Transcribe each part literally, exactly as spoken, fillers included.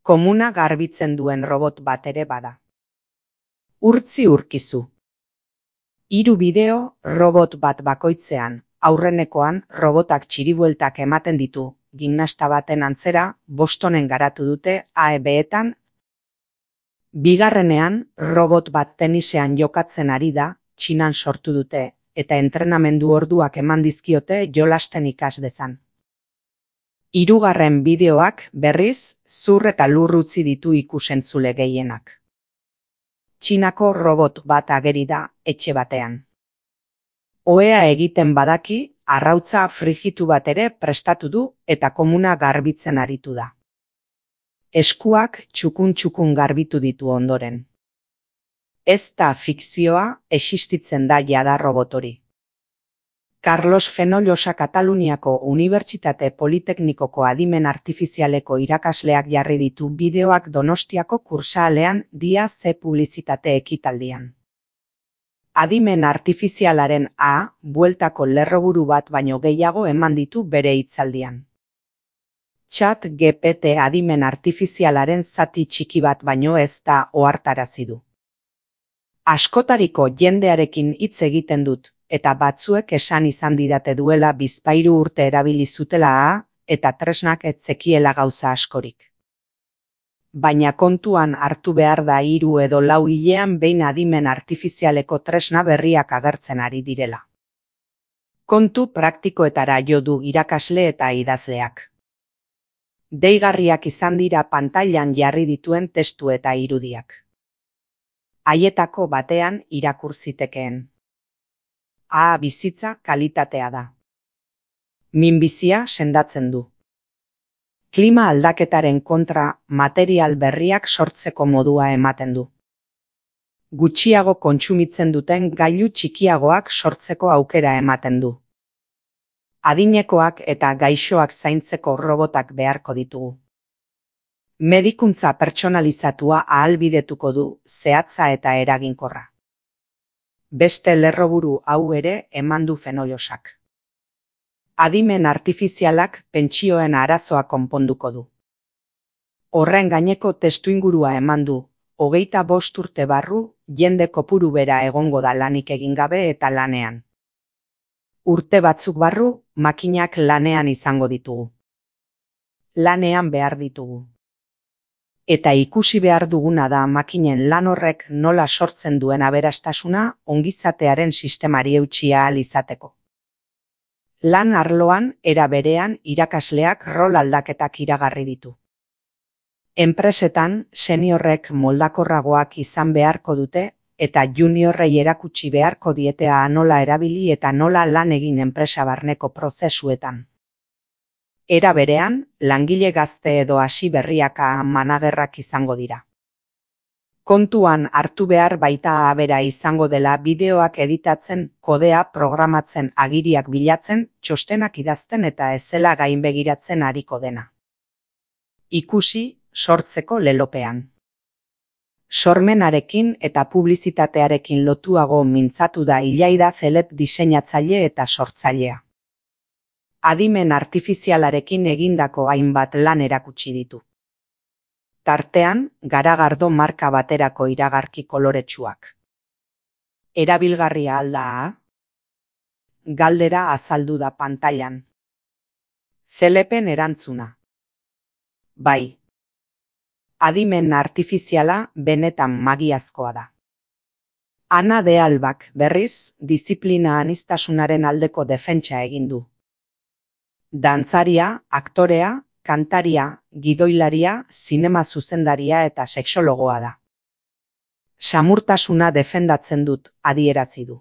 Komuna garbitzen duen robot bat ere bada. Urtzi urkizu. Hiru bideo robot bat bakoitzean, aurrenekoan robotak txiribueltak ematen ditu, gimnasta baten antzera, Bostonen garatu dute A E B-etan. Bigarrenean, robot bat tenisean jokatzen ari da, Txinan sortu dute, eta entrenamendu orduak eman dizkiote jolasten ikas dezan. Hirugarren bideoak, berriz, zur eta lur utzi ditu ikusentzule gehienak. Txinako robot bat ageri da, etxe batean. Ohea egiten badaki, arrautza frijitu bat ere prestatu du eta komuna garbitzen aritu da. Eskuak txukun-txukun garbitu ditu ondoren. Ez da fikzioa, existitzen da jada robot hori. Carlos Fenollosa Kataluniako Unibertsitate Politeknikoko Adimen Artifizialeko irakasleak jarri ditu bideoak Donostiako kursaalean dia ze publizitate ekitaldian. Adimen artifizialaren A, bueltako lerroburu bat baino gehiago eman ditu bere hitzaldian. Chat G P T adimen artifizialaren zati txiki bat baino ez da ohartarazi du. Askotariko jendearekin hitz egiten dut, eta batzuek esan izan didate duela bizpahiru urte erabili zutela A, eta tresnak ez zekiela gauza askorik. Baina kontuan hartu behar da hiru edo lau hilean behin adimen artifizialeko tresna berriak agertzen ari direla. Kontu praktikoetara jo du irakasle eta idazleak. Deigarriak izan dira pantailan jarri dituen testu eta irudiak. Haietako batean irakur zitekeen. A bizitza kalitatea da. Minbizia sendatzen du. Klima aldaketaren kontra material berriak sortzeko modua ematen du. Gutxiago kontsumitzen duten gailu txikiagoak sortzeko aukera ematen du. Adinekoak eta gaixoak zaintzeko robotak beharko ditugu. Medikuntza pertsonalizatua ahalbidetuko du, zehatza eta eraginkorra. Beste lerroburu hau ere eman du Fenollosak. Adimen artifizialak pentsioen arazoa konponduko du. Horren gaineko testuingurua eman du, hogeita bost urte barru, jende kopuru bera egongo da lanik egin gabe eta lanean. Urte batzuk barru, makinak lanean izango ditugu. Lanean behar ditugu. Eta ikusi behar duguna da makinen lan horrek nola sortzen duen aberastasuna ongizatearen sistemari eutsi ahal izateko. Lan arloan era berean irakasleak rol aldaketak iragarri ditu. Enpresetan seniorrek moldakorragoak izan beharko dute eta juniorrei erakutsi beharko dietea nola erabili eta nola lan egin enpresa barneko prozesuetan. Era berean, langile gazte edo hasi berriak managerrak izango dira. Kontuan hartu behar baita abera izango dela bideoak editatzen, kodea programatzen, agiriak bilatzen, txostenak idazten eta ezela gainbegiratzen ariko dena. Ikusi, sortzeko lelopean. Sormenarekin eta publizitatearekin lotuago mintzatu da Ilaida Zelep diseinatzaile eta sortzailea. Adimen artifizialarekin egindako hainbat lan erakutsi ditu. Tartean, Garagardo marka baterako iragarki koloretsuak. Erabilgarria alda A? Galdera azaldu da pantailan. Zelepen erantzuna. Bai. Adimen artifiziala benetan magiazkoa da. Ana de Albak, berriz, diziplina aniztasunaren aldeko defentsa egin du. Dantzaria, aktorea, kantaria, gidoilaria, zinema zuzendaria eta sexologoa da. Samurtasuna defendatzen dut, adierazi du.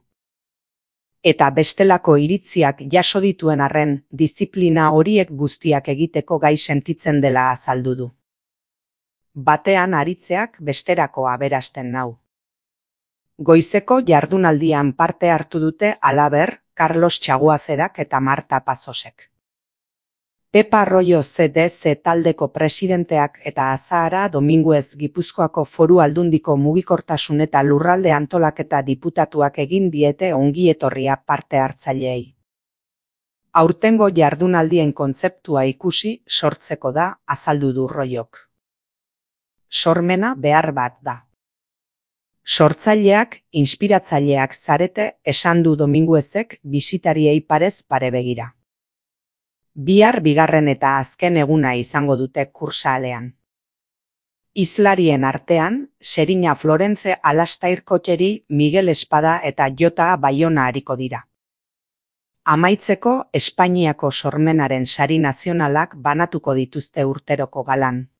Eta bestelako iritziak jaso dituen arren, diziplina horiek guztiak egiteko gai sentitzen dela azaldu du. Batean aritzeak besterako aberasten nau. Goizeko jardunaldian parte hartu dute halaber, Carlos Txaguazedak eta Marta Pazosek. Pepa Arroyo C D C taldeko presidenteak eta Azahara Dominguez Gipuzkoako Foru Aldundiko mugikortasun eta lurralde antolaketa diputatuak egin diete ongietorria parte hartzaileei. Aurtengo jardunaldien kontzeptua ikusi sortzeko da, azaldu du Royok. sormena behar bat da. Sortzaileak, inspiratzaileak zarete esan du Dominguezek bisitariei parez pare begira. Bihar bigarren eta azken eguna izango dute kursalean. Hizlarien artean, Seriña Florence Alastair Kotxeri, Miguel Espada eta Jota Baiona ariko dira. Amaitzeko, Espainiako sormenaren sari nazionalak banatuko dituzte urteroko galan.